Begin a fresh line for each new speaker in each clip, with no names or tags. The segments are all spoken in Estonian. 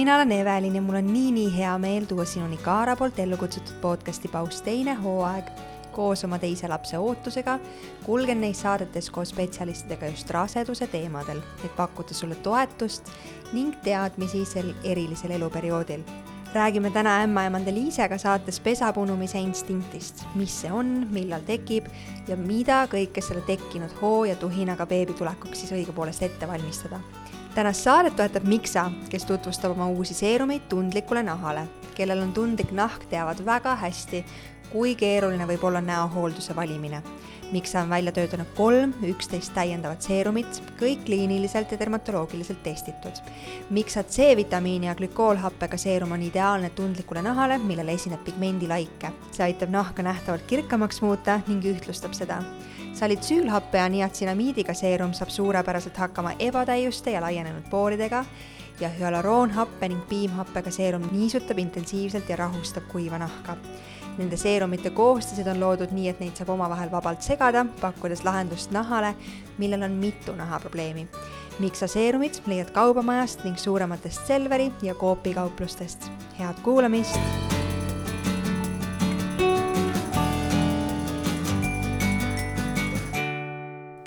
Mina olen Evelin ja mul on nii hea meel tuua sinuni Kaara poolt ellu kutsutud podcasti Paus teine hooaeg. Koos oma teise lapse ootusega kulgen neis saadetes koos spetsialistidega just raseduse teemadel, et pakkuda sulle toetust ning teadmisi sel erilisel eluperioodil. Räägime täna ämmaemande Liisega saates pesapunumise instinktist, mis see on, millal tekib ja mida kõike selle tekkinud hoo ja tuhinaga beebi tulekuks siis õigupoolest ette valmistada. Tänast saadet toetab Mixa, kes tutvustab oma uusi seerumeid tundlikule nahale. Kellel on tundlik nahk, teavad väga hästi, kui keeruline võib olla näohoolduse valimine. Mixa on välja töötanud 11 täiendavat seerumit, kõik kliiniliselt ja dermatoloogiliselt testitud. Mixa C-vitamiini ja glükoolhappega seerum on ideaalne tundlikule nahale, millel esineb pigmendilaike. See aitab nahka nähtavalt kirkamaks muuta ning ühtlustab seda. Salitsüülhappe ja niatsinamiidiga seerum saab suurepäraselt hakkama ebatäiuste ja laienenud pooridega ja hyaluroonhappe ning piimhappega seerum niisutab intensiivselt ja rahustab kuiva nahka. Nende seerumite koostised on loodud nii, et neid saab omavahel vabalt segada, pakkudes lahendust nahale, millel on mitu nahaprobleemi. Mixa seerumid leiad kaubamajast ning suurematest Selveri ja Coopi kauplustest. Head kuulamist!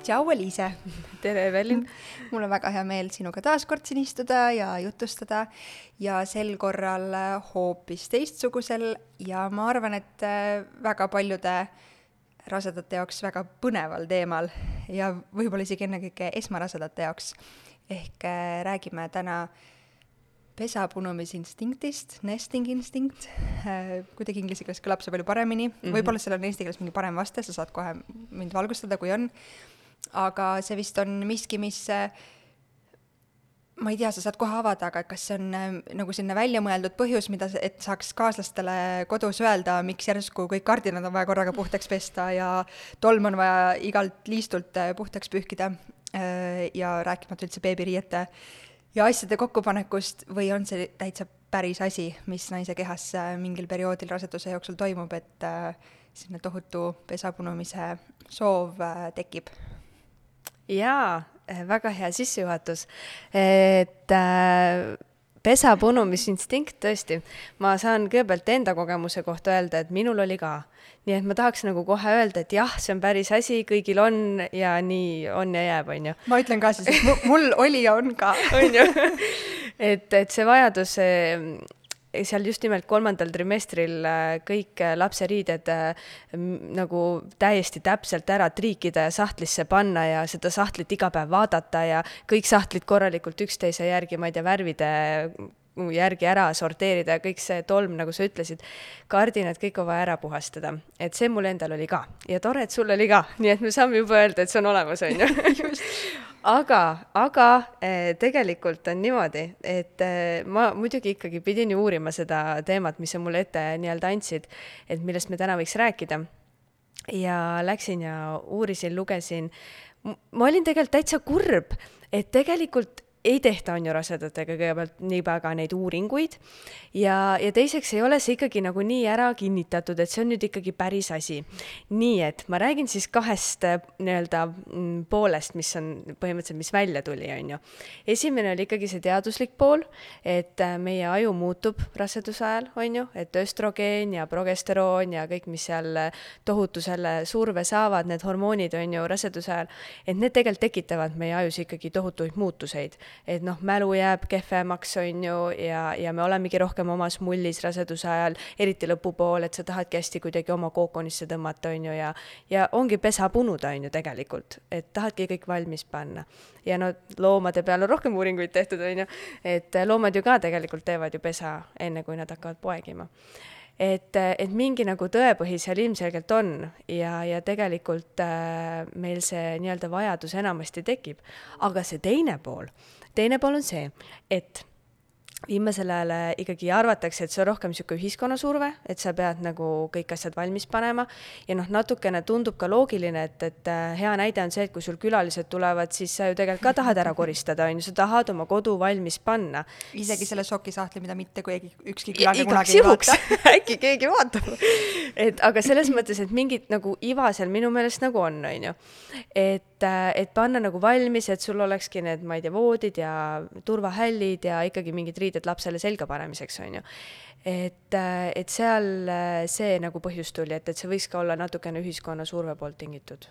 Tšau, Liise!
Tere, Evelin!
Mul on väga hea meel sinuga taas kord siin istuda ja jutustada ja sel korral hoopis teistsugusel ja ma arvan, et väga paljude rasedate jaoks väga põneval teemal ja võib-olla isegi ennekõike esmarasedate jaoks. Ehk räägime täna pesapunumisinstinktist, nesting instinct, kuidagi inglise keeles kõlab see palju paremini. Võib-olla seal on eesti keeles mingi parem vaste, sa saad kohe mind valgustada, kui on. Aga see vist on miski, mis, ma ei tea, sa saad kohe avada, aga kas see on nagu sinna välja mõeldud põhjus, mida, et saaks kaaslastele kodus öelda, miks järsku kõik kardinad on vaja korraga puhtaks pesta ja tolm on vaja igalt liistult puhtaks pühkida ja rääkimata üldse beebiriiete ja asjade kokkupanekust või on see täitsa päris asi, mis naise kehas mingil perioodil raseduse jooksul toimub, et sinna tohutu pesapunumise soov tekib?
Jaa, väga hea sissejuhatus, et pesapunumisinstinkt tõesti, ma saan kõigepealt enda kogemuse kohta öelda, et minul oli ka. Nii et ma tahaks nagu kohe öelda, et jah, see on päris asi, kõigil on ja nii on ja jääb, on ju.
Ma ütlen ka siis, et mul oli ja on ka.
On ju? Et see vajadus seal just nimelt 3. trimestril kõik lapseriided nagu täiesti täpselt ära triikida ja sahtlisse panna ja seda sahtlit iga päev vaadata ja kõik sahtlid korralikult üksteise järgi, ma ei tea, värvide järgi ära sorteerida ja kõik see tolm, nagu sa ütlesid, kardinad kõik on vaja ära puhastada. Et see mul endal oli ka. Ja tore, et sul oli ka. Nii et me saame juba öelda, et see on olemas, on ju. Aga tegelikult on niimoodi, et ma muidugi ikkagi pidin ju uurima seda teemat, mis sa mulle ette nii-öelda andsid, et millest me täna võiks rääkida. Ja läksin ja uurisin, lugesin. Ma olin tegelikult täitsa kurb, et tegelikult ei tehta on ju rasedatega kõigepealt nii väga neid uuringuid ja teiseks ei ole see ikkagi nagu nii ära kinnitatud, et see on nüüd ikkagi päris asi. Nii et ma räägin siis kahest nii-öelda poolest, mis on põhimõtteliselt, mis välja tuli, on ju. Esimene oli ikkagi see teaduslik pool, et meie aju muutub raseduse ajal, on ju, et östrogeen ja progesteroon ja kõik, mis seal tohutu selle surve saavad, need hormoonid, on ju, raseduse ajal, et need tegelikult tekitavad meie ajus ikkagi tohutuid muutuseid. Et mälu jääb kehvemaks, on ju, ja me olemegi rohkem omas mullis raseduse ajal, eriti lõpupool, et sa tahadki hästi kuidagi oma kookonisse tõmmata, on ju, ja ongi pesa punuda, on ju, tegelikult, et tahadki kõik valmis panna. Ja loomade peal on rohkem uuringuid tehtud, on ju, et loomad ju ka tegelikult teevad ju pesa enne, kui nad hakkavad poegima. Et mingi nagu tõepõhi seal ilmselgelt on ja tegelikult meil see nii-öelda vajadus enamasti tekib. Aga see teine pool on see, et viimasel ajal ikkagi arvatakse, et see on rohkem niisugune ühiskonnasurve, et sa pead nagu kõik asjad valmis panema ja natukene tundub ka loogiline, et hea näide on see, et kui sul külalised tulevad, siis sa ju tegelikult ka tahad ära koristada, on ju, sa tahad oma kodu valmis panna.
Isegi selle sokisahtli, mida mitte ükski külaline kunagi ei vaata.
Äkki keegi vaatab. Aga selles mõttes, et mingid nagu iva seal minu meelest nagu on ju. Et panna nagu valmis, et sul olekski need, ma ei tea, voodid ja turvahällid ja ikkagi mingid riided lapsele selga panemiseks, on ju. Et seal see nagu põhjus tuli, et see võiks ka olla natukene ühiskonna surve poolt tingitud.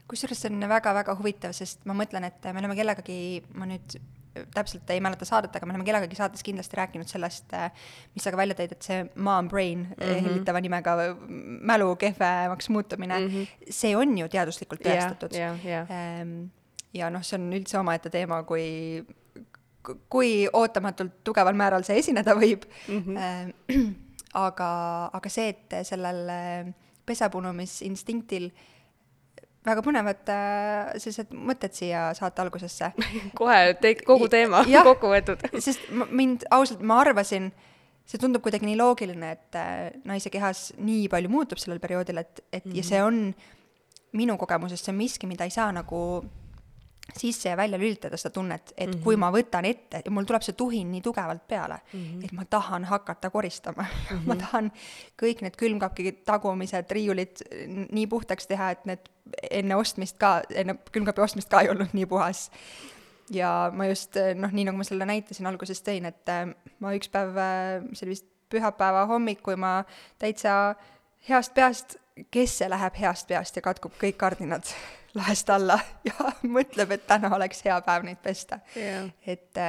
Kusjuures see on väga-väga huvitav, sest ma mõtlen, et me oleme kellegagi, ma nüüd täpselt ei mäleta saadet, aga me oleme kellegagi saates kindlasti rääkinud sellest, mis sa ka välja tõid, et see mom brain hellitava nimega mälu kehvemaks muutumine, see on ju teaduslikult tõestatud. Ja noh, see on üldse omaette teema, kui ootamatult tugeval määral see esineda võib. Aga see, et sellel pesapunumisinstinktil väga põnevad sellised mõtted siia saate algusesse.
Kohe kogu teema kokku võetud.
Sest ausalt, ma arvasin, see tundub kuidagi nii loogiline, et naise kehas nii palju muutub sellel perioodil, ja see on minu kogemusest, see on miski, mida ei saa nagu sisse ja välja lülitada seda tunnet, et kui ma võtan ette, ja mul tuleb see tuhin nii tugevalt peale, et ma tahan hakata koristama. Ma tahan kõik need külmkapki tagumised riiulid nii puhtaks teha, et need enne külmkapi ostmist ka ei olnud nii puhas. Ja ma just, nii nagu ma selle näitasin alguses tõin, et ma üks päev, see oli vist pühapäeva hommik, kui ma täitsa heast peast, kes see läheb heast peast ja katkub kõik kardinad lahest alla ja mõtleb, et täna oleks hea päev neid pesta. Et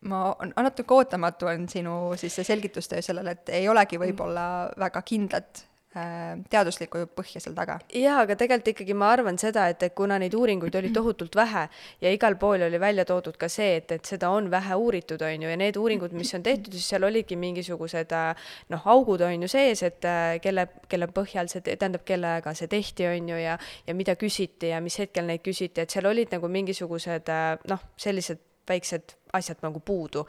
ma natuke ootamatu on sinu siis see selgitustöö sellele, et ei olegi võib-olla väga kindlat teaduslikku põhja seal taga.
Jaa, aga tegelikult ikkagi ma arvan seda, et kuna neid uuringuid oli tohutult vähe ja igal pool oli välja toodud ka see, et seda on vähe uuritud, on ju, ja need uuringud, mis on tehtud, siis seal oligi mingisugused augud on ju sees, et kelle põhjal see, tähendab, kellega see tehti, on ju, ja mida küsiti ja mis hetkel neid küsiti, et seal olid nagu mingisugused sellised väiksed asjad nagu puudu.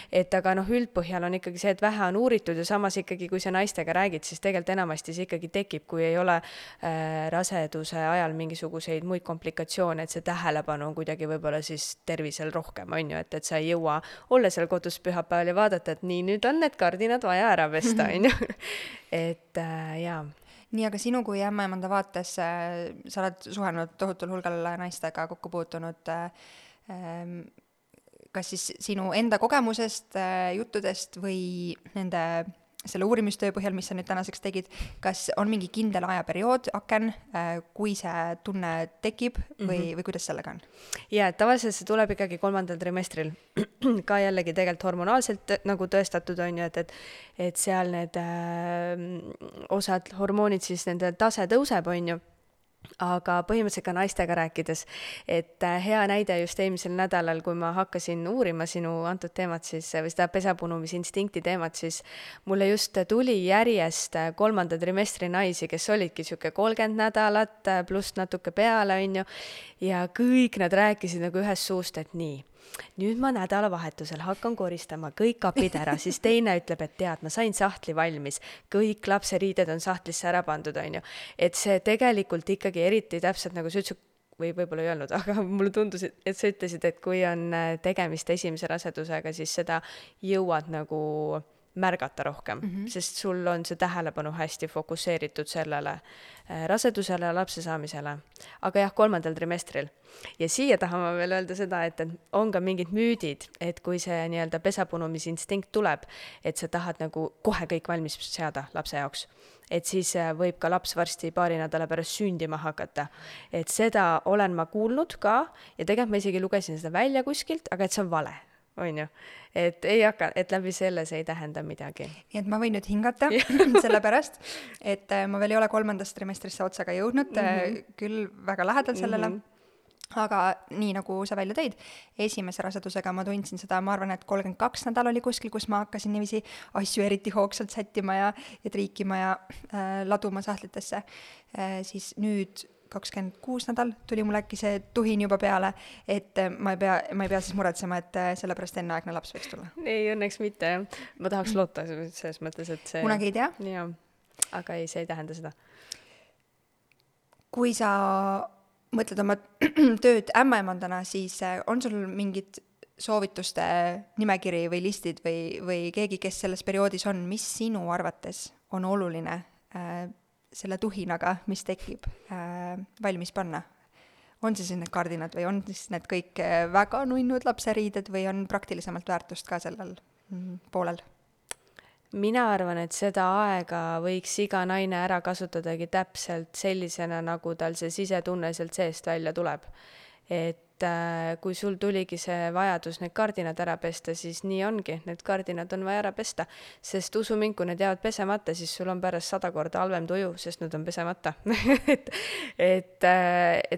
Et aga üldpõhjal on ikkagi see, et vähe on uuritud ja samas ikkagi, kui sa naistega räägid, siis tegelikult enamasti see ikkagi tekib, kui ei ole raseduse ajal mingisuguseid muid komplikatsioone, et see tähelepanu on kuidagi võib-olla siis tervisel rohkem, on ju, et sa ei jõua olla seal kodus pühapäeval ja vaadata, et nii, nüüd on need kardinad vaja ära pesta, on ju. Et jaa.
Nii, aga sinu kui ämmaemanda vaates, sa oled suhelnud tohutul hulgal naistega, kokku puutunud, kas siis sinu enda kogemusest, juttudest või nende selle uurimistöö põhjal, mis sa nüüd tänaseks tegid, kas on mingi kindel ajaperiood, aken, kui see tunne tekib või kuidas sellega on?
Ja, tavaliselt see tuleb ikkagi 3. trimestril. Ka jällegi tegelikult hormonaalselt nagu tõestatud on ju, et seal need osad hormoonid, siis nende tase tõuseb on ju. Aga põhimõtteliselt ka naistega rääkides, et hea näide just eelmisel nädalal, kui ma hakkasin uurima sinu antud teemat, siis, või seda pesapunumisinstinkti teemat, siis mulle just tuli järjest 3. trimestri naisi, kes olidki siuke 30 nädalat pluss natuke peale, on ju, ja kõik nad rääkisid nagu ühest suust, et nii. Nüüd ma nädalavahetusel hakkan koristama kõik kapid ära, siis teine ütleb, et tead, ma sain sahtli valmis, kõik lapseriided on sahtlisse ära pandud, on ju. Et see tegelikult ikkagi eriti täpselt nagu sa ütlesid, või võib-olla ei öelnud, aga mulle tundus, et sa ütlesid, et kui on tegemist esimese rasedusega, siis seda jõuad nagu märgata rohkem, sest sul on see tähelepanu hästi fokusseeritud sellele rasedusele ja lapse saamisele. Aga jah, 3. trimestril. Ja siia tahame veel öelda seda, et on ka mingid müüdid, et kui see nii-öelda pesapunumisinstink tuleb, et sa tahad nagu kohe kõik valmis seada lapse jaoks. Et siis võib ka laps varsti paari nädala pärast sündima hakata. Et seda olen ma kuulnud ka ja tegelikult ma isegi lugesin seda välja kuskilt, aga et see on vale. On ju, et ei hakka, et läbi selle see ei tähenda midagi.
Nii et ma võin nüüd hingata selle pärast, et ma veel ei ole 3. trimestrisse otsaga jõudnud, küll väga lähedal sellele, aga nii nagu sa välja tõid, esimese rasedusega ma tundsin seda, ma arvan, et 32 nädal oli kuskil, kus ma hakkasin niiviisi asju eriti hoogsalt sättima ja triikima ja laduma sahtlitesse, siis nüüd 26 nädal tuli mul äkki see tuhin juba peale, et ma ei pea siis muretsema, et sellepärast enneaegne laps võiks tulla.
Ei, õnneks mitte. Ma tahaks loota selles mõttes, et see...
Kunagi ei tea.
Ja, aga ei, see ei tähenda seda.
Kui sa mõtled oma tööd ämmaemandana, siis on sul mingid soovituste nimekiri või listid või keegi, kes selles perioodis on, mis sinu arvates on oluline selle tuhinaga, mis tekib, valmis panna? on siis need kardinad või on siis need kõik väga nunnud lapseriided või on praktilisemalt väärtust ka sellel poolel?
Mina arvan, et seda aega võiks iga naine ära kasutadagi täpselt sellisena, nagu tal see sisetunne sealt seest välja tuleb. Et kui sul tuligi see vajadus need kardinad ära pesta, siis nii ongi, need kardinad on vaja ära pesta, sest usu mind, kui need jäävad pesemata, siis sul on pärast 100 korda halvem tuju, sest need on pesemata. et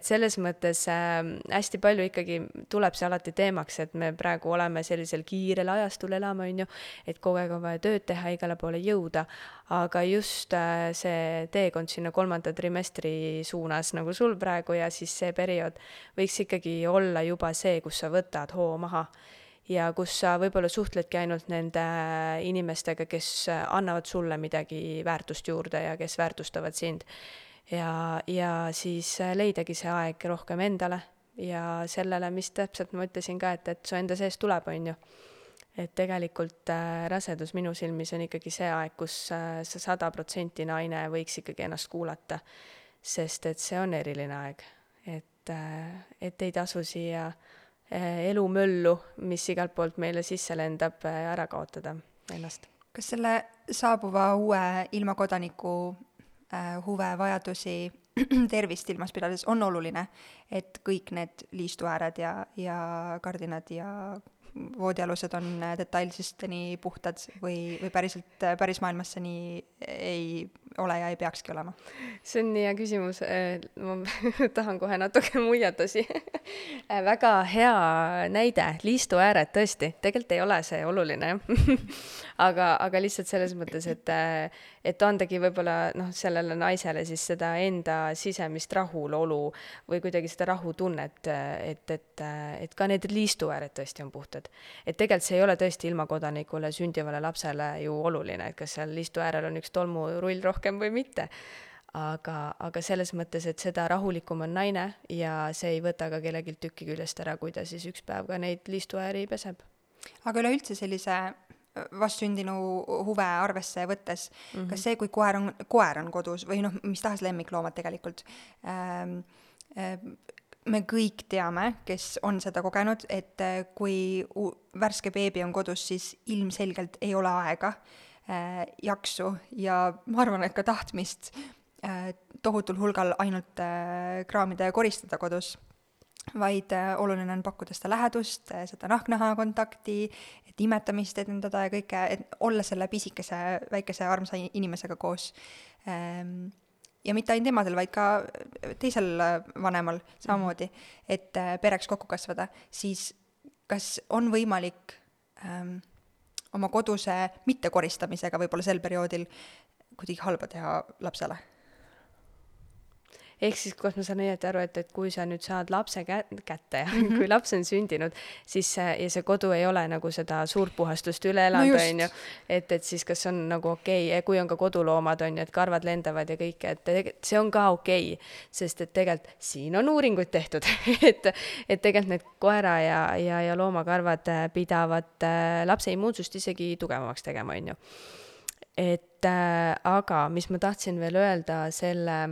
selles mõttes hästi palju ikkagi tuleb see alati teemaks, et me praegu oleme sellisel kiirel ajastul elame, on ju, et kogu aeg on vaja tööd teha, igale poole jõuda, aga just see teekond sinna 3. trimestri suunas, nagu sul praegu, ja siis see periood võiks ikkagi olla juba see, kus sa võtad hoo maha ja kus sa võib-olla suhtledki ainult nende inimestega, kes annavad sulle midagi väärtust juurde ja kes väärtustavad sind. Ja siis leidagi see aeg rohkem endale ja sellele, mis täpselt ma ütlesin ka, et su enda sees tuleb, on ju. Et tegelikult rasedus minu silmis on ikkagi see aeg, kus sa 100% naine võiks ikkagi ennast kuulata, sest et see on eriline aeg. Et ei tasu siia elumöllu, mis igalt poolt meile sisse lendab, ära kaotada ennast.
Kas selle saabuva uue ilmakodaniku huve, vajadusi, tervist ilmas pidades on oluline, et kõik need liistuääred ja kardinad ja voodialused on detailsesti puhtad või päris maailmas see nii ei ole ja ei peakski olema?
See on nii hea küsimus. Ma tahan kohe natuke muiatasi. Väga hea näide, liistuääred tõesti, tegelikult ei ole see oluline. aga lihtsalt selles mõttes, et andagi võib-olla sellele naisele siis seda enda sisemist rahulolu või kuidagi seda rahutunnet, et ka need liistuääred tõesti on puhtad. Et tegelikult see ei ole tõesti ilmakodanikule, sündivale lapsele ju oluline, et kas seal liistuäärel on üks tolmurull rohkem või mitte. Aga selles mõttes, et seda rahulikum on naine ja see ei võta ka kellelgi tükki küljest ära, kui ta siis üks päev ka neid liistuääri peseb.
Aga üleüldse sellise vastsündinu huve arvesse võttes, kas see, kui koer on kodus või mis tahes lemmikloomad tegelikult, me kõik teame, kes on seda kogenud, et kui värske beebi on kodus, siis ilmselgelt ei ole aega, jaksu ja ma arvan, et ka tahtmist tohutul hulgal ainult kraamida ja koristada kodus, vaid oluline on pakkuda seda lähedust, seda nahknaha kontakti, et imetamist edendada ja kõike, et olla selle pisikese, väikese armsa inimesega koos. Ja mitte ainult emadel, vaid ka teisel vanemal samamoodi, et pereks kokku kasvada, siis kas on võimalik oma koduse mittekoristamisega võib-olla sel perioodil kuidagi halba teha lapsele?
Ehk siis, kus ma saan õieti aru, et kui sa nüüd saad lapse kätte ja kui laps on sündinud, siis ja see kodu ei ole nagu seda suurt puhastust üle elanud, on ju, et siis kas on nagu okei, kui on ka koduloomad, on ju, et karvad lendavad ja kõik, et see on ka okei, sest et tegelikult siin on uuringuid tehtud, et tegelikult need koera ja loomakarvad pidavad lapse immuunsust isegi tugevamaks tegema, on ju. Aga mis ma tahtsin veel öelda selle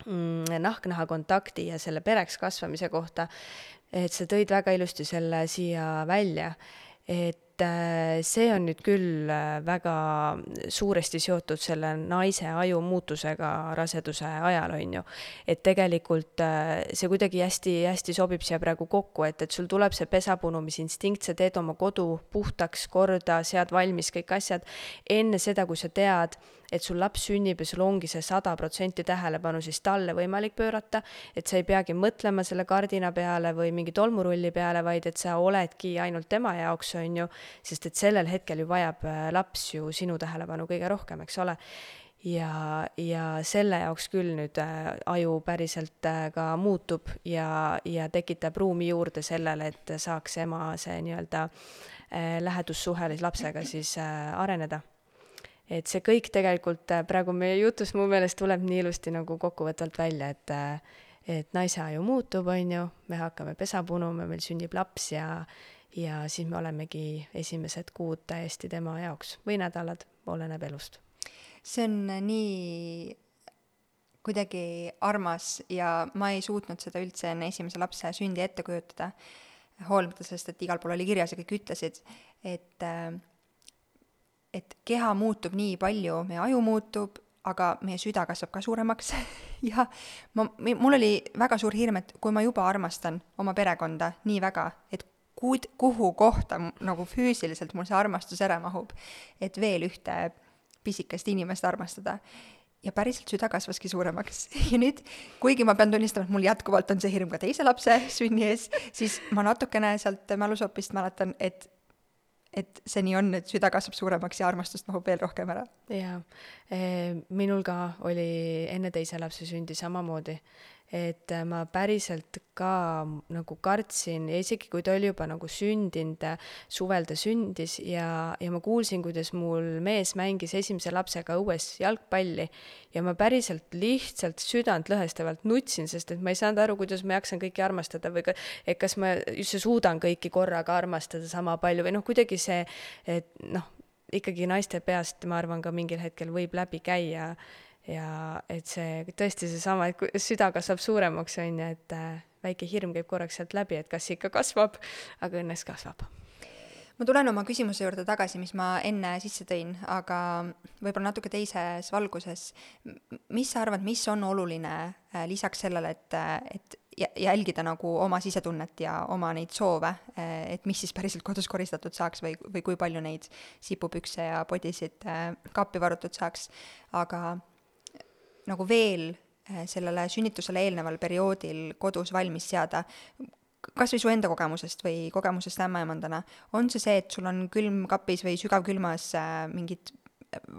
nahknaha kontakti ja selle pereks kasvamise kohta, et sa tõid väga ilusti selle siia välja, et see on nüüd küll väga suuresti seotud selle naise aju muutusega raseduse ajal, on ju. Et tegelikult see kuidagi hästi sobib siia praegu kokku, et sul tuleb see pesapunumisininstinkt, sa teed oma kodu puhtaks korda, sead valmis kõik asjad enne seda, kui sa tead, et sul laps sünnib ja sul ongi see 100% tähelepanu siis talle võimalik pöörata, et sa ei peagi mõtlema selle kardina peale või mingi tolmurulli peale, vaid et sa oledki ainult tema jaoks, on ju, sest et sellel hetkel ju vajab laps ju sinu tähelepanu kõige rohkem, eks ole. Ja selle jaoks küll nüüd aju päriselt ka muutub ja tekitab ruumi juurde sellele, et saaks ema see nii-öelda lähedussuhe lapsega siis areneda. Et see kõik tegelikult praegu meie jutus mu meelest tuleb nii ilusti nagu kokkuvõtvalt välja, et naise aju muutub, on ju, me hakkame pesa punuma, meil sünnib laps ja siis me olemegi esimesed kuud täiesti tema jaoks või nädalad, oleneb elust.
See on nii kuidagi armas ja ma ei suutnud seda üldse enne esimese lapse sündi ette kujutada, hoolimata sellest, et igal pool oli kirjas ja kõik ütlesid, et keha muutub nii palju, meie aju muutub, aga meie süda kasvab ka suuremaks ja mul oli väga suur hirm, et kui ma juba armastan oma perekonda nii väga, et kuhu kohta nagu füüsiliselt mul see armastus ära mahub, et veel ühte pisikest inimest armastada. Ja päriselt süda kasvaski suuremaks. Ja nüüd, kuigi ma pean tunnistama, et mul jätkuvalt on see hirm ka teise lapse sünni ees, siis ma natukene sealt mälusopist mäletan, et see nii on, et süda kasvab suuremaks ja armastust mahub veel rohkem ära.
Jaa, minul ka oli enne teise lapse sündi samamoodi, et ma päriselt ka nagu kartsin ja isegi kui ta oli juba nagu sündinud, suvel ta sündis ja ma kuulsin, kuidas mul mees mängis esimese lapsega õues jalgpalli ja ma päriselt lihtsalt südant lõhestavalt nutsin, sest et ma ei saanud aru, kuidas ma jaksan kõiki armastada või et kas ma üldse suudan kõiki korraga armastada sama palju või kuidagi see, et ikkagi naiste peast ma arvan ka mingil hetkel võib läbi käia ja et see tõesti seesama, et süda kasvab suuremaks, on ju, et väike hirm käib korraks sealt läbi, et kas ikka kasvab, aga õnneks kasvab.
Ma tulen oma küsimuse juurde tagasi, mis ma enne sisse tõin, aga võib-olla natuke teises valguses. Mis sa arvad, mis on oluline lisaks sellele, et jälgida nagu oma sisetunnet ja oma neid soove, et mis siis päriselt kodus koristatud saaks või kui palju neid sipupükse ja podisid kappi varutud saaks, aga nagu veel sellele sünnitusele eelneval perioodil kodus valmis seada, kas või su enda kogemusest või kogemusest ämmaemandana, on see, et sul on külmkapis või sügavkülmas mingid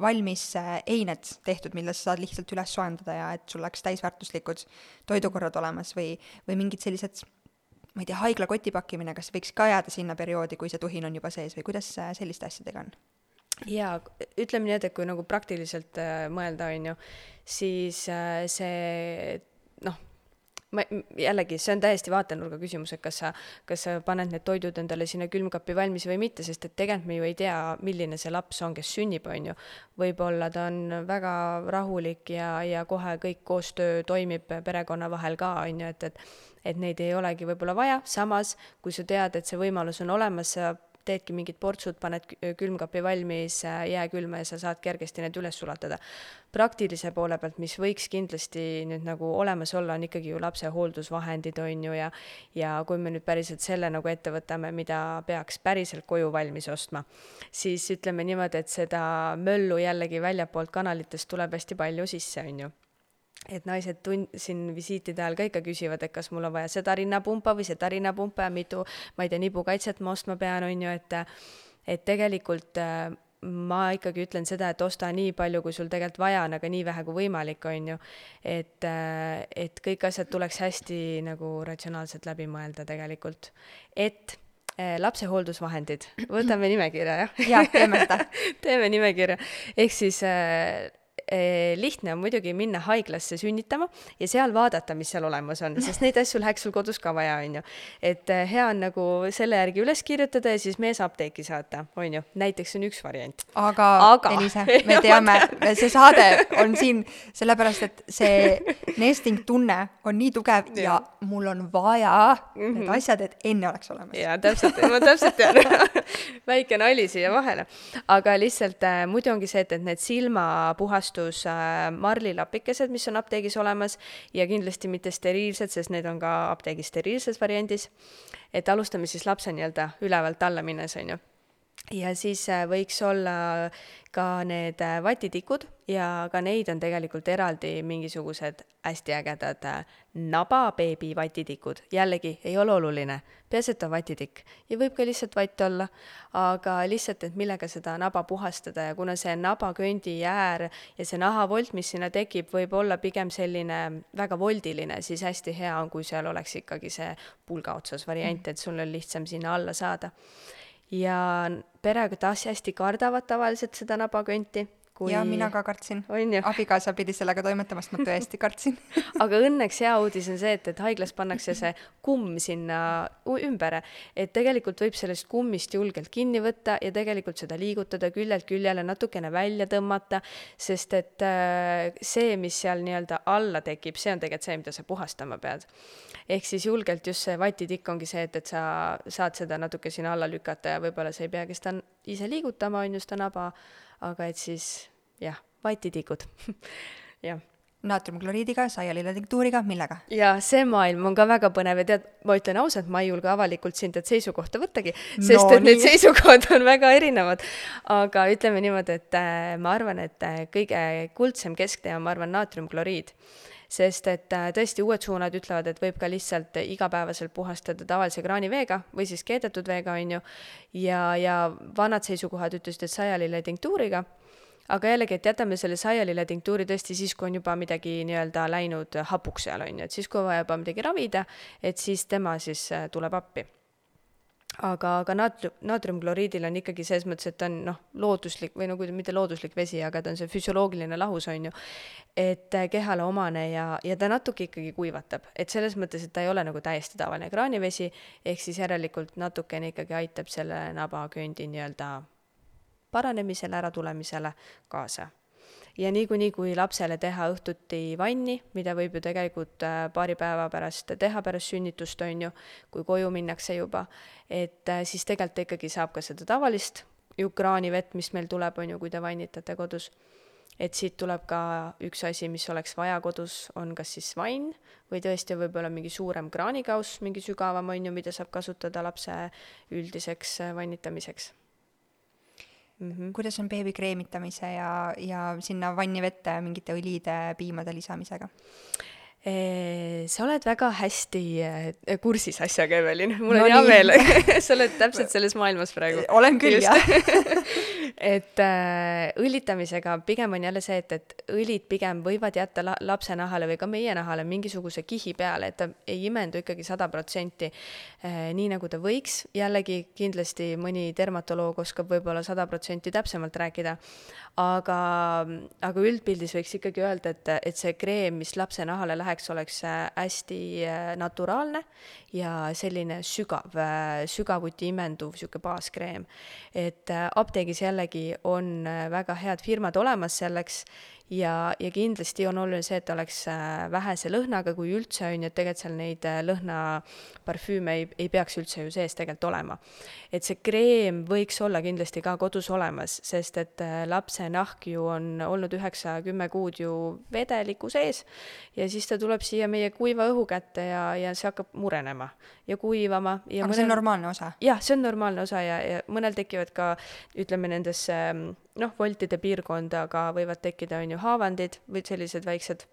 valmis eined tehtud, mille sa saad lihtsalt üles soojendada ja et sul oleks täisväärtuslikud toidukorrad olemas või mingid sellised, ma ei tea, haigla kotipakkimine, kas võiks ka jääda sinna perioodi, kui see tuhin on juba sees või kuidas selliste asjadega on?
Jaa, ütleme nii, et kui nagu praktiliselt mõelda, on ju, siis see, jällegi, see on täiesti vaatenurga küsimus, et kas sa paned need toidud endale sinna külmkappi valmis või mitte, sest et tegelikult me ju ei tea, milline see laps on, kes sünnib, on ju. Võib-olla ta on väga rahulik ja kohe kõik koostöö toimib perekonna vahel ka, on ju, et neid ei olegi võib-olla vaja. Samas, kui sa tead, et see võimalus on olemas, sa teedki mingid portsud, paned külmkapi valmis, jääkülma ja sa saad kergesti need üles sulatada. Praktilise poole pealt, mis võiks kindlasti nüüd nagu olemas olla, on ikkagi ju lapse hooldusvahendid, on ju, ja kui me nüüd päriselt selle nagu ette võtame, mida peaks päriselt koju valmis ostma, siis ütleme niimoodi, et seda möllu jällegi väljapoolt kanalitest tuleb hästi palju sisse, on ju. Et naised siin visiitide ajal ka ikka küsivad, et kas mul on vaja seda rinnapumpa või seda rinnapumpa ja mitu, ma ei tea, nibukaitset ma ostma pean, on ju, et tegelikult ma ikkagi ütlen seda, et osta nii palju, kui sul tegelikult vaja on, aga nii vähe kui võimalik, on ju, et kõik asjad tuleks hästi nagu ratsionaalselt läbi mõelda tegelikult, et lapse hooldusvahendid, võtame nimekirja, jah?
Jah, teeme seda.
Teeme nimekirja, ehk siis lihtne on muidugi minna haiglasse sünnitama ja seal vaadata, mis seal olemas on, sest neid asju läheks sul kodus ka vaja, on ju. Et hea on nagu selle järgi üles kirjutada ja siis mees apteeki saata, on ju. Näiteks on üks variant.
Aga Elise, me teame, see saade on siin sellepärast, et see nesting tunne on nii tugev ja mul on vaja need asjad, et enne oleks olemas.
Ja, täpselt, ma täpselt tean. Väike nali siia vahele. Aga lihtsalt muidu ongi see, et need silmapuhastus marlilapikesed, mis on apteegis olemas ja kindlasti mitte steriilsed, sest need on ka apteegis steriilses variandis. Et alustame siis lapse nii-öelda ülevalt alla minnes, on ju. Ja siis võiks olla ka need vatitikud ja ka neid on tegelikult eraldi mingisugused hästi ägedad nababeebi vatitikud. Jällegi ei ole oluline, peaasi, et on vatitikk ja võib ka lihtsalt vatt olla, aga lihtsalt, et millega seda naba puhastada ja kuna see nabaköndi äär ja see nahavolt, mis sinna tekib, võib olla pigem selline väga voldiline, siis hästi hea on, kui seal oleks ikkagi see pulga otsas variant, et sul on lihtsam sinna alla saada. Ja pered hästi kardavad tavaliselt seda nabakönti,
Ja mina ka kartsin.
On ju?
Abikaasa pidi sellega toimetamast, ma tõesti kartsin.
Aga õnneks hea uudis on see, et haiglas pannakse see kumm sinna ümber, et tegelikult võib sellest kummist julgelt kinni võtta ja tegelikult seda liigutada küljelt küljele, natukene välja tõmmata, sest et see, mis seal nii-öelda alla tekib, see on tegelikult see, mida sa puhastama pead. Ehk siis julgelt just see vatitikk ongi see, et sa saad seda natuke sinna alla lükata ja võib-olla sa ei peagi seda ise liigutama, on just naba, aga et siis jah, vatitikud. jah.
Naatriumkloriidiga, saialiletinktuuriga, millega?
Ja see maailm on ka väga põnev ja tead, ma ütlen ausalt, ma ei julge avalikult sind seisukohta võttagi, sest et need seisukohad on väga erinevad. Aga ütleme niimoodi, et ma arvan, et kõige kuldsem kesktee on, ma arvan, naatriumkloriid. Sest et tõesti uued suunad ütlevad, et võib ka lihtsalt igapäevaselt puhastada tavalise kraaniveega või siis keedetud veega, on ju. Ja vanad seisukohad ütlesid, et saialiletinktuuriga. Aga jällegi, et jätame selle saialiletinktuuri tõesti siis, kui on juba midagi nii-öelda läinud hapuks seal, on ju. Et siis, kui vaja juba midagi ravida, et siis tema siis tuleb appi. Aga naatriumkloriidil on ikkagi selles mõttes, et ta on looduslik või mitte looduslik vesi, aga ta on see füsioloogiline lahus, on ju, et kehale omane ja ta natuke ikkagi kuivatab. Et selles mõttes, et ta ei ole nagu täiesti tavaline kraanivesi, ehk siis järelikult natukene ikkagi aitab selle nabaköndi nii-öelda paranemisele, äratulemisele kaasa. Ja niikuinii, kui lapsele teha õhtuti vanni, mida võib ju tegelikult paari päeva pärast teha pärast sünnitust, on ju, kui koju minnakse juba, et siis tegelikult ikkagi saab ka seda tavalist ju kraanivett, mis meil tuleb, on ju, kui te vannitate kodus. Et siit tuleb ka üks asi, mis oleks vaja kodus, on kas siis vann või tõesti võib-olla mingi suurem kraanikaus, mingi sügavam, on ju, mida saab kasutada lapse üldiseks vannitamiseks.
Kuidas on beebi kreemitamise ja sinna vanni vette mingite õliide, piimade lisamisega?
Sa oled väga hästi kursis asjaga, Evelin. Mul on hea meel. Sa oled täpselt selles maailmas praegu.
Olen küll, jah.
Et õlitamisega pigem on jälle see, et õlid pigem võivad jätta lapse nahale või ka meie nahale mingisuguse kihi peale, et ta ei imendu ikkagi 100% nii nagu ta võiks. Jällegi kindlasti mõni dermatoloog oskab võib-olla 100% täpsemalt rääkida, aga üldpildis võiks ikkagi öelda, et see kreem, mis lapse nahale läheks, oleks hästi naturaalne ja selline sügavuti imenduv siuke baaskreem. Et apteegis jällegi on väga head firmad olemas selleks ja kindlasti on oluline see, et oleks vähese lõhnaga, kui üldse on, et tegelikult seal neid lõhnaparfüüme ei peaks üldse ju sees tegelikult olema. Et see kreem võiks olla kindlasti ka kodus olemas, sest et lapse nahk ju on olnud 9-10 kuud ju vedeliku sees ja siis ta tuleb siia meie kuiva õhu kätte ja see hakkab murenema ja kuivama. Ja
aga see on normaalne osa?
Jah, see on normaalne osa ja mõnel tekivad ka, ütleme, nendesse voltide piirkondaga võivad tekkida, on ju, haavandid või sellised väiksed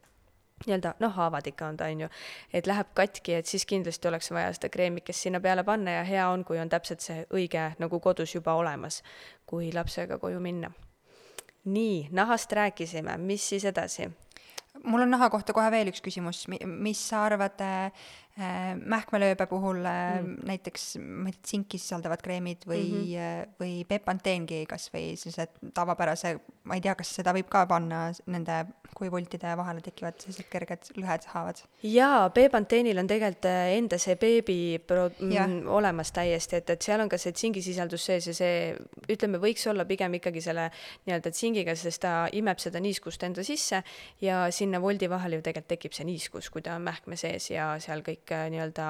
nii-öelda, haavad ikka on ta, on ju, et läheb katki, et siis kindlasti oleks vaja seda kreemikest sinna peale panna ja hea on, kui on täpselt see õige nagu kodus juba olemas, kui lapsega koju minna. Nii, nahast rääkisime, mis siis edasi?
Mul on naha kohta kohe veel üks küsimus, mis sa arvad mähkmelööbe puhul näiteks tsinki sisaldavad kreemid või Bepanteengi kas või sellised tavapärase, ma ei tea, kas seda võib ka panna nende, kui voltide vahele tekivad sellised kerged lõhed haavad?
Jaa, Bepanteenil on tegelikult enda see beebi olemas täiesti, et seal on ka see tsingisisaldus sees ja see, ütleme, võiks olla pigem ikkagi selle nii-öelda tsingiga, sest ta imeb seda niiskust enda sisse ja sinna voldi vahel ju tegelikult tekib see niiskus, kui ta on mähkme sees ja seal kõik nii-öelda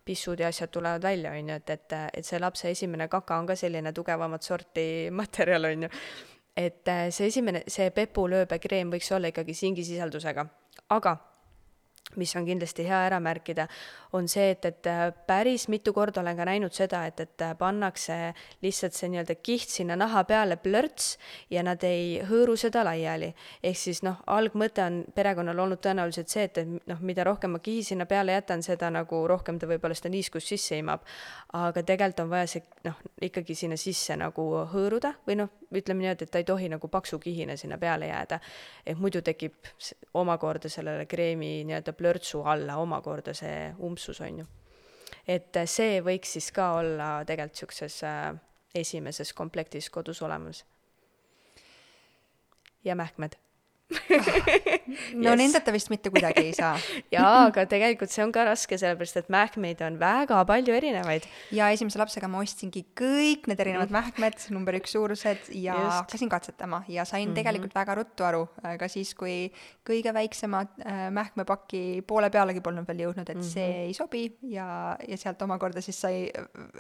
pissud ja asjad tulevad välja, on ju, et see lapse esimene kaka on ka selline tugevamat sorti materjal, on ju. Et see pepulööbe kreem võiks olla ikkagi singisisaldusega, aga mis on kindlasti hea ära märkida, on see, et päris mitu korda olen ka näinud seda, et pannakse lihtsalt see nii-öelda kiht sinna naha peale plörts ja nad ei hõõru seda laiali. Ehk siis algmõte on perekonnal olnud tõenäoliselt see, et mida rohkem ma kihi sinna peale jätan, seda nagu rohkem ta võib-olla seda niiskust sisse imab. Aga tegelikult on vaja see ikkagi sinna sisse nagu hõõruda või ütleme nii, et ta ei tohi nagu paksu kihina sinna peale jääda. Et muidu tekib omakorda sellele kreemi nii-öelda plörtsu alla omakorda see umbsus, on ju. Et see võiks siis ka olla tegelikult siukses esimeses komplektis kodus olemas. ja mähkmed.
No yes. Nendeta vist mitte kuidagi ei saa.
Jaa, aga tegelikult see on ka raske, sellepärast et mähkmeid on väga palju erinevaid.
Ja esimese lapsega ma ostsingi kõik need erinevad mähkmed, number 1 suurused ja hakkasin katsetama ja sain tegelikult väga ruttu aru, ka siis, kui kõige väiksema mähkmepaki poole pealegi polnud veel jõudnud, et see ei sobi ja sealt omakorda siis sai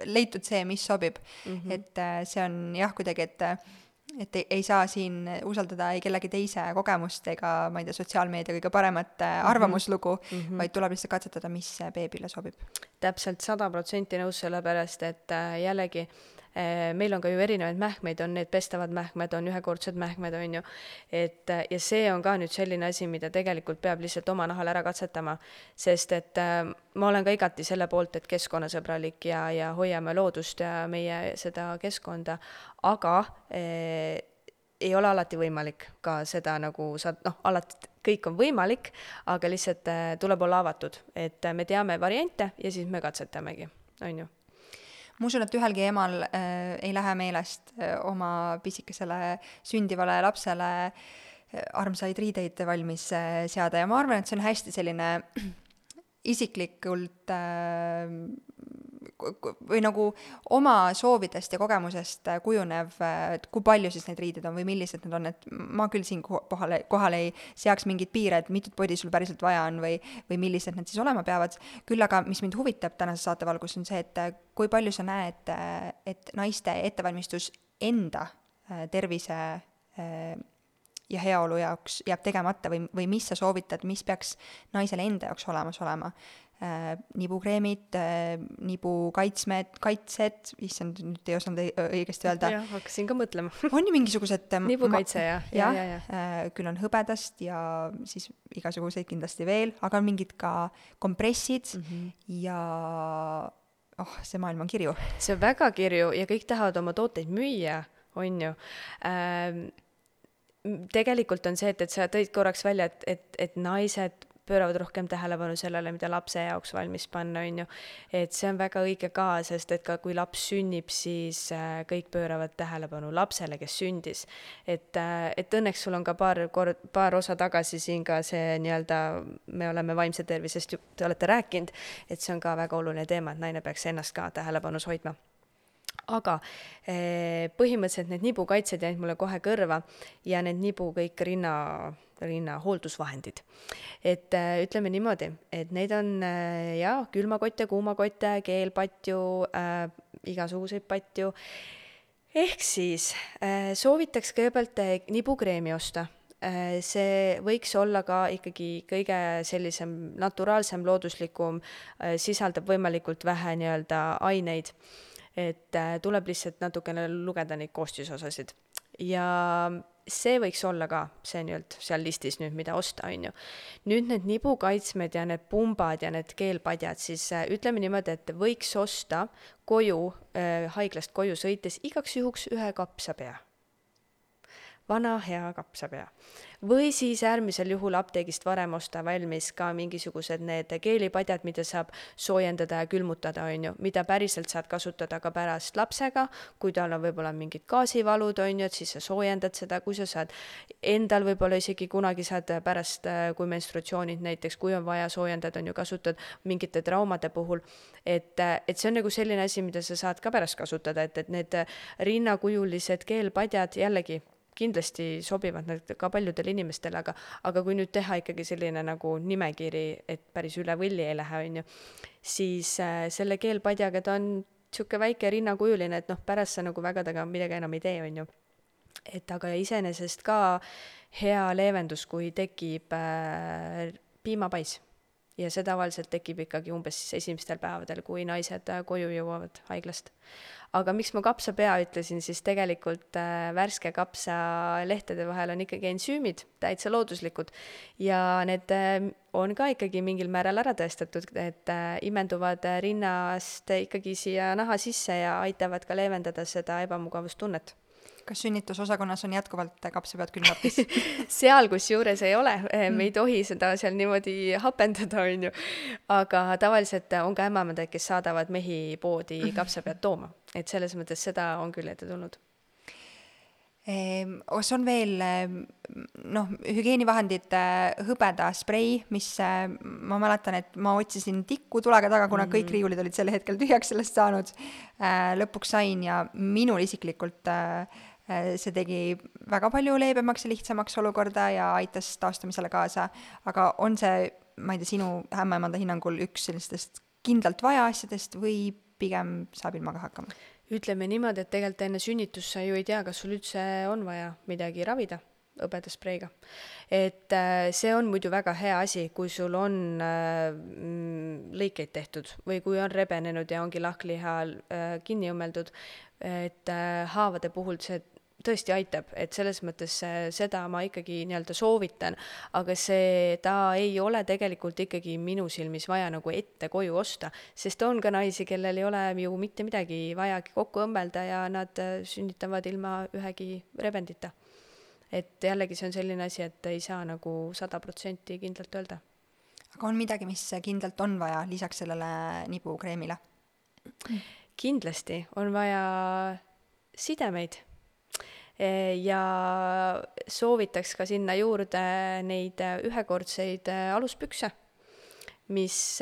leitud see, mis sobib. Et see on jah kuidagi, et ei saa siin usaldada ei kellegi teise kogemust ega ma ei tea, sotsiaalmeedia kõige paremat arvamuslugu, vaid tuleb lihtsalt katsetada, mis beebile sobib.
Täpselt 100% nõus, sellepärast, et jällegi meil on ka ju erinevaid mähkmeid, on need pestavad mähkmed, on ühekordsed mähkmed, on ju, et ja see on ka nüüd selline asi, mida tegelikult peab lihtsalt oma nahal ära katsetama, sest et ma olen ka igati selle poolt, et keskkonnasõbralik ja hoiame loodust ja meie seda keskkonda, aga ei ole alati võimalik ka seda nagu alati kõik on võimalik, aga lihtsalt tuleb olla avatud, et me teame variante ja siis me katsetamegi, on ju.
Ma usun, et ühelgi emal ei lähe meelest oma pisikesele sündivale lapsele armsaid riideid valmis seada ja ma arvan, et see on hästi selline isiklikult või nagu oma soovidest ja kogemusest kujunev, kui palju siis neid riideid on või millised need on, et ma küll siin kohal ei seaks mingid piire, et mitut podi sul päriselt vaja on või millised need siis olema peavad. Küll aga, mis mind huvitab tänase saatevalgus on see, et kui palju sa näed, et naiste ettevalmistus enda tervise ja heaolu jaoks jääb tegemata või mis sa soovitad, mis peaks naisele enda jaoks olemas olema. Nibukreemid, nibukaitsed, issand, nüüd ei osanud õigesti öelda.
Jah, hakkasin ka mõtlema.
On ju mingisugused...
Nibukaitse, ja.
Küll on hõbedast ja siis igasuguseid kindlasti veel, aga on mingid ka kompressid ja... see maailm on kirju.
See on väga kirju ja kõik tahavad oma tooteid müüa, on ju. Tegelikult on see, et sa tõid korraks välja, et naised pööravad rohkem tähelepanu sellele, mida lapse jaoks valmis panna, on ju. Et see on väga õige ka, sest et ka kui laps sünnib, siis kõik pööravad tähelepanu lapsele, kes sündis. Et õnneks sul on ka paar osa tagasi siin ka see nii-öelda, me oleme vaimse tervisest, te olete rääkinud, et see on ka väga oluline teema, et naine peaks ennast ka tähelepanus hoidma. Aga põhimõtteliselt need nibukaitsed jäid mulle kohe kõrva ja need nibu kõik rinna hooldusvahendid. Et ütleme niimoodi, et neid on külmakotte, kuumakotte, keelpatju, igasuguseid patju. Ehk siis soovitaks kõigepealt nibukreemi osta. See võiks olla ka ikkagi kõige sellisem naturaalsem, looduslikum, sisaldab võimalikult vähe nii-öelda aineid. Et tuleb lihtsalt natukene lugeda neid koostisosasid. Ja see võiks olla ka see nii-öelda seal listis nüüd, mida osta, on ju. Nüüd need nibukaitsmed ja need pumbad ja need keelpadjad, siis ütleme niimoodi, et võiks osta koju, haiglast koju sõites igaks juhuks ühe kapsapea. Vana hea kapsapea. Või siis äärmisel juhul apteegist varem osta valmis ka mingisugused need keelipadjad, mida saab soojendada ja külmutada, on ju, mida päriselt saad kasutada ka pärast lapsega, kui tal on võib-olla mingid gaasivalud, on ju, et siis sa soojendad seda, kui sa saad endal võib-olla isegi kunagi saad pärast, kui menstruatsioonid näiteks, kui on vaja soojendada, on ju, kasutad mingite traumade puhul, et see on nagu selline asi, mida sa saad ka pärast kasutada, et need rinnakujulised keelpadjad jällegi kindlasti sobivad need ka paljudele inimestele, aga kui nüüd teha ikkagi selline nagu nimekiri, et päris üle võlli ei lähe, on ju, siis selle keelpadjaga ta on siuke väike rinnakujuline, et pärast sa nagu väga taga midagi enam ei tee, on ju. Et aga iseenesest ka hea leevendus, kui tekib piimapais. Ja see tavaliselt tekib ikkagi umbes esimestel päevadel, kui naised koju jõuavad haiglast. Aga miks ma kapsapea ütlesin, siis tegelikult värske kapsa lehtede vahel on ikkagi ensüümid, täitsa looduslikud. Ja need on ka ikkagi mingil määral ära tõestatud, et imenduvad rinnast ikkagi siia naha sisse ja aitavad ka leevendada seda ebamugavustunnet.
Kas sünnitusosakonnas on jätkuvalt kapsapead külmapis?
Seal kus juures ei ole, me ei tohi seda seal niimoodi hapendada, on ju. Aga tavaliselt on ka ämamad, kes saadavad mehi poodi kapsapead tooma. Et selles mõttes seda on küll ette tulnud.
Kas on veel hügieenivahendite hõbeda sprei, mis ma mäletan, et ma otsisin tikku tulega taga, kuna kõik riiulid olid sel hetkel tühjaks sellest saanud. Lõpuks sain ja minul isiklikult see tegi väga palju leebemaks ja lihtsamaks olukorda ja aitas taastumisele kaasa. Aga on see, ma ei tea, sinu ämmaemanda hinnangul üks sellistest kindlalt vaja asjadest või pigem saab ilmaga hakkama?
Ütleme niimoodi, et tegelikult enne sünnitust sa ju ei tea, kas sul üldse on vaja midagi ravida hõbedaspreiga. Et see on muidu väga hea asi, kui sul on lõikeid tehtud või kui on rebenenud ja ongi lahkliha kinni õmmeldud, et haavade puhul see tõesti aitab, et selles mõttes seda ma ikkagi nii-öelda soovitan, aga ta ei ole tegelikult ikkagi minu silmis vaja nagu ette koju osta, sest on ka naisi, kellel ei ole ju mitte midagi vajagi kokku õmmelda ja nad sünnitavad ilma ühegi rebendita. Et jällegi see on selline asi, et ei saa nagu 100% kindlalt öelda.
Aga on midagi, mis kindlalt on vaja lisaks sellele nibukreemile?
Kindlasti on vaja sidemeid. Ja soovitaks ka sinna juurde neid ühekordseid aluspükse, mis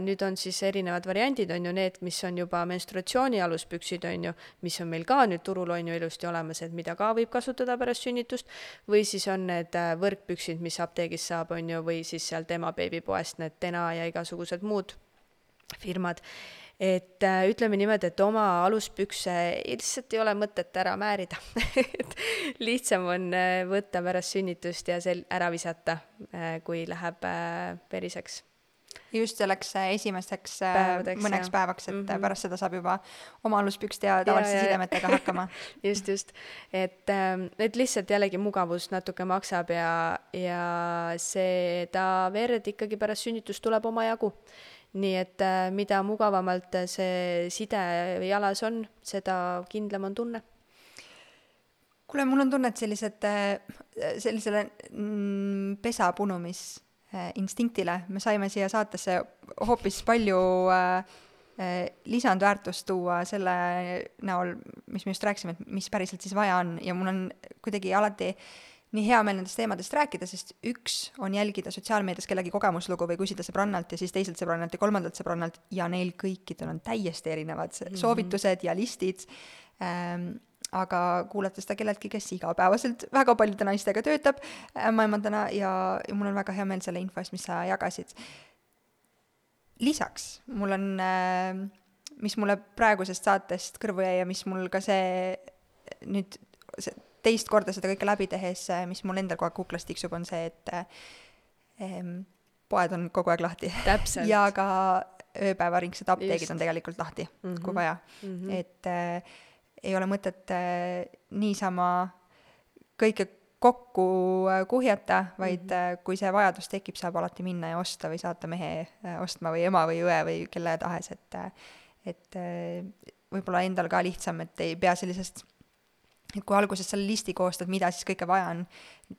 nüüd on siis erinevad variandid, on ju need, mis on juba menstruatsiooni aluspüksid, on ju, mis on meil ka nüüd turul on ju ilusti olemas, et mida ka võib kasutada pärast sünnitust, või siis on need võrkpüksid, mis apteegis saab, on ju, või siis sealt emabeebipoest need Tena ja igasugused muud firmad. Et ütleme niimoodi, et oma aluspükse lihtsalt ei ole mõtet ära määrida. Lihtsam on võtta pärast sünnitust ja ära visata, kui läheb veriseks.
Just selleks esimesteks
päevadeks,
mõneks päevaks, et pärast seda saab juba oma aluspükste ja tavaliste sidemetega hakkama.
Just. Et lihtsalt jällegi mugavus natuke maksab ja seda verd ikkagi pärast sünnitust tuleb oma jagu. Nii et mida mugavamalt see side jalas on, seda kindlam on tunne.
Kuule, mul on tunne, et sellisele pesapunumis instinktile me saime siia saatesse hoopis palju lisandväärtust tuua selle näol, mis me just rääkisime, et mis päriselt siis vaja on. Ja mul on kuidagi alati nii hea meel nendest teemadest rääkida, sest üks on jälgida sotsiaalmeedias kellegi kogemuslugu või küsida sõbrannalt ja siis teiselt sõbrannalt ja kolmandalt sõbrannalt ja neil kõikidel on täiesti erinevad soovitused ja listid. Aga kuulata seda kelleltki, kes igapäevaselt väga paljude naistega töötab ämmaemandana ja mul on väga hea meel selle info eest, mis sa jagasid. Lisaks mul on, mis mulle praegusest saatest kõrvu jäi ja mis mul ka see nüüd teist korda seda kõike läbi tehes, mis mul endal kogu aeg kuklas tiksub, on see, et poed on kogu aeg lahti.
Täpselt.
Ja ka ööpäevaringsed apteegid on tegelikult lahti, kui vaja. Et ei ole mõtet niisama kõike kokku kuhjata, vaid kui see vajadus tekib, saab alati minna ja osta või saata mehe ostma või ema või õe või kelle tahes, et võib-olla endal ka lihtsam, et ei pea sellisest, et kui alguses selle listi koostad, mida siis kõike vaja on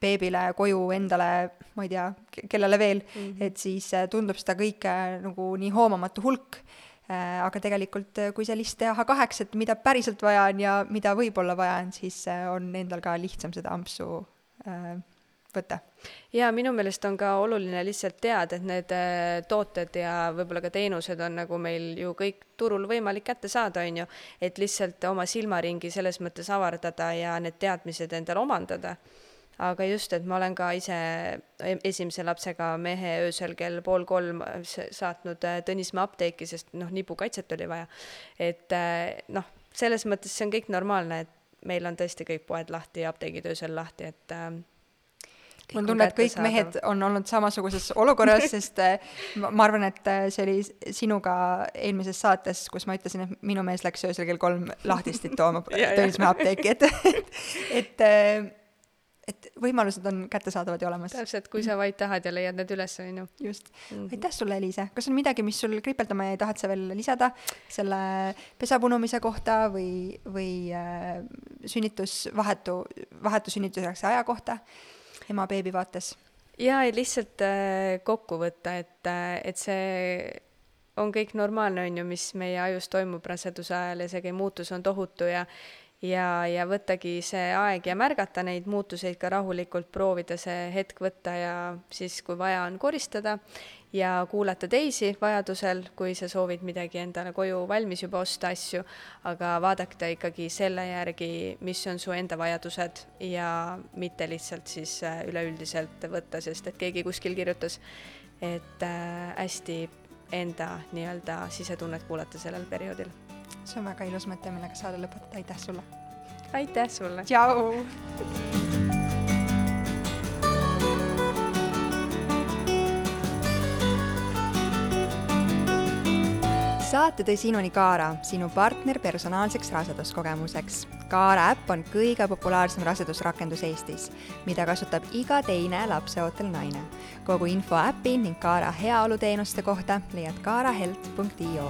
beebile, koju, endale, ma ei tea, kellele veel, et siis tundub seda kõike nagu nii hoomamatu hulk. Aga tegelikult, kui see list teha 2, et mida päriselt vaja on ja mida võib-olla vaja on, siis on endal ka lihtsam seda ampsu võtta.
Ja minu meelest on ka oluline lihtsalt teada, et need tooted ja võib-olla ka teenused on nagu meil ju kõik turul võimalik kätte saada, on ju, et lihtsalt oma silmaringi selles mõttes avardada ja need teadmised endale omandada. Aga just, et ma olen ka ise esimese lapsega mehe öösel kell 2:30 saatnud Tõnismäe apteeki, sest nibukaitset oli vaja. Et selles mõttes see on kõik normaalne, et meil on tõesti kõik poed lahti ja apteegid öösel lahti, et
mul on tunne, et kõik mehed on olnud samasuguses olukorras, sest ma arvan, et see oli sinuga eelmises saates, kus ma ütlesin, et minu mees läks öösel kell 3 lahtistit tooma Tõnismäe apteeki, et võimalused on kättesaadavad ja olemas.
Täpselt, kui sa vaid tahad ja leiad need üles, on ju.
Just. Aitäh sulle, Eliise. Kas on midagi, mis sul kripeldama ja tahad sa veel lisada selle pesapunumise kohta või vahetu sünnitusjärgse aja kohta ema-beebi vaates?
Ja lihtsalt kokku võtta, et see on kõik normaalne, on ju, mis meie ajus toimub raseduse ajal ja see muutus on tohutu ja võttagi see aeg ja märgata neid muutuseid ka rahulikult, proovida see hetk võtta ja siis, kui vaja on, koristada ja kuulata teisi vajadusel, kui sa soovid midagi endale koju valmis juba osta asju, aga vaadake ikkagi selle järgi, mis on su enda vajadused ja mitte lihtsalt siis üleüldiselt võtta, sest et keegi kuskil kirjutas, et hästi enda nii-öelda sisetunnet kuulata sellel perioodil.
See on väga ilus mõte, millega saada lõpetada. Aitäh sulle!
Aitäh sulle!
Tšau! Saate tõi sinuni Kaara, sinu partner personaalseks raseduskogemuseks. Kaara äpp on kõige populaarsem rasedusrakendus Eestis, mida kasutab iga teine lapseootel naine. Kogu info äpi ning Kaara heaoluteenuste kohta leiad kaarahelt.io.